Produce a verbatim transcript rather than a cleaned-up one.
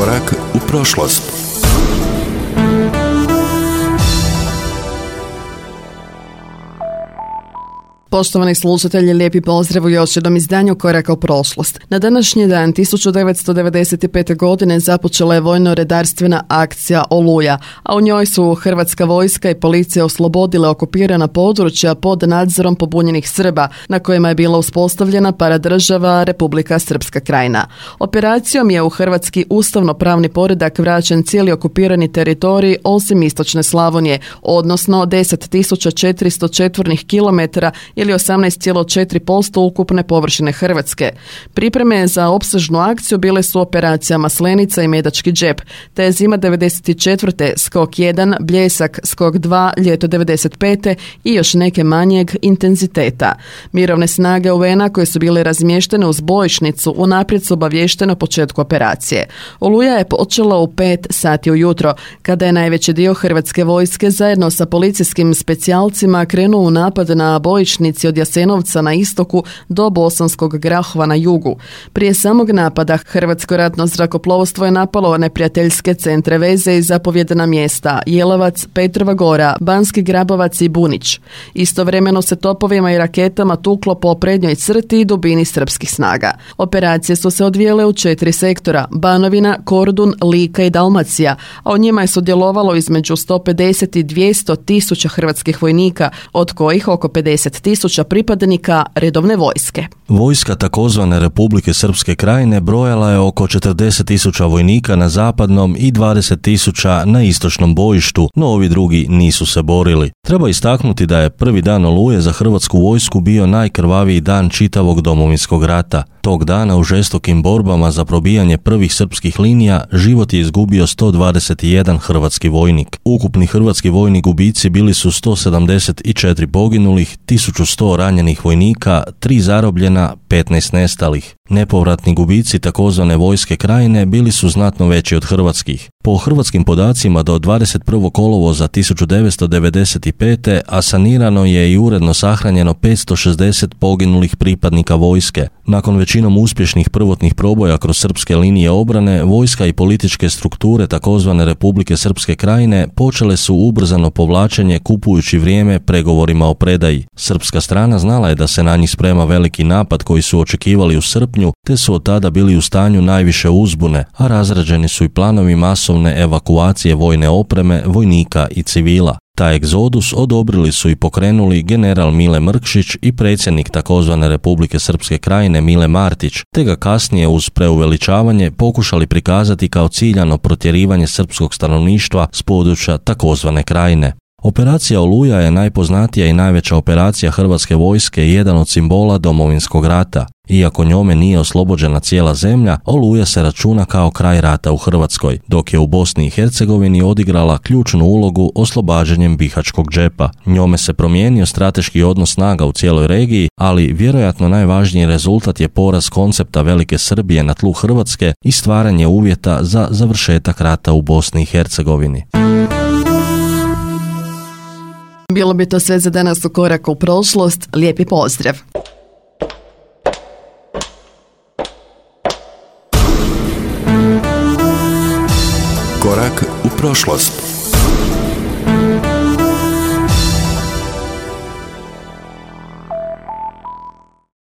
Korak u prošlost. Poštovani slušatelji, lijepi pozdrav u još jednom izdanju Koraka u prošlost. Na današnji dan tisuću devetsto devedeset pete. godine započela je vojno-redarstvena akcija Oluja, a u njoj su hrvatska vojska i policija oslobodile okupirana područja pod nadzorom pobunjenih Srba, na kojima je bila uspostavljena paradržava Republika Srpska Krajina. Operacijom je u hrvatski ustavno-pravni poredak vraćen cijeli okupirani teritorij osim istočne Slavonije, odnosno deset tisuća četiristo četvornih kilometara ili osamnaest zarez četiri posto ukupne površine Hrvatske. Pripreme za opsežnu akciju bile su operacija Maslenica i Medački džep, te zima devedeset četvrte. skok jedan, Bljesak, skok dva, ljeto devedeset pete. i još neke manjeg intenziteta. Mirovne snage U N-a koje su bile razmještene uz bojišnicu unaprijed su obaviještene o početku operacije. Oluja je počela u pet sati ujutro, kada je najveći dio hrvatske vojske zajedno sa policijskim specijalcima krenuo u napad na bojišnici od Jasenovca na istoku do Bosanskog Grahova na jugu. Prije samog napada Hrvatsko ratno zrakoplovstvo je napalo neprijateljske centre veze i zapovjedna mjesta Jelovac, Petrova Gora, Banski Grabovac i Bunić. Istovremeno se topovima i raketama tuklo po prednjoj crti i dubini srpskih snaga. Operacije su se odvijele u četiri sektora: Banovina, Kordun, Lika i Dalmacija, a u njima je sudjelovalo između sto pedeset i dvjesto tisuća hrvatskih vojnika, od kojih oko pedeset tisuća pripadnika redovne vojske. Vojska takozvane Republike Srpske Krajine brojala je oko četrdeset tisuća vojnika na zapadnom i dvadeset tisuća na istočnom bojištu, no ovi drugi nisu se borili. Treba istaknuti da je prvi dan Oluje za hrvatsku vojsku bio najkrvaviji dan čitavog Domovinskog rata. Tog dana u žestokim borbama za probijanje prvih srpskih linija život je izgubio sto dvadeset jedan hrvatski vojnik. Ukupni hrvatski vojni gubici bili su sto sedamdeset četiri poginulih, tisuću sto ranjenih vojnika, tri zarobljena, petnaest nestalih. Nepovratni gubici takozvane vojske Krajine bili su znatno veći od hrvatskih. Po hrvatskim podacima do dvadeset prvog kolovoza tisuću devetsto devedeset pete. asanirano je i uredno sahranjeno petsto šezdeset poginulih pripadnika vojske. Nakon većinom uspješnih prvotnih proboja kroz srpske linije obrane, vojska i političke strukture takozvane Republike Srpske Krajine počele su ubrzano povlačenje kupujući vrijeme pregovorima o predaji. Srpska strana znala je da se na njih sprema veliki napad koji su očekivali u srpnju, te su od tada bili u stanju najviše uzbune, a razrađeni su i planovi masovne evakuacije vojne opreme, vojnika i civila. Taj egzodus odobrili su i pokrenuli general Mile Mrkšić i predsjednik takozvane Republike Srpske Krajine Mile Martić, te ga kasnije uz preuveličavanje pokušali prikazati kao ciljano protjerivanje srpskog stanovništva s područja takozvane Krajine. Operacija Oluja je najpoznatija i najveća operacija hrvatske vojske i jedan od simbola Domovinskog rata. Iako njome nije oslobođena cijela zemlja, Oluja se računa kao kraj rata u Hrvatskoj, dok je u Bosni i Hercegovini odigrala ključnu ulogu oslobađanjem Bihaćkog džepa. Njome se promijenio strateški odnos snaga u cijeloj regiji, ali vjerojatno najvažniji rezultat je poraz koncepta Velike Srbije na tlu Hrvatske i stvaranje uvjeta za završetak rata u Bosni i Hercegovini. Bilo bi to sve za danas u Koraku u prošlost. Lijepi pozdrav! Korak u prošlost.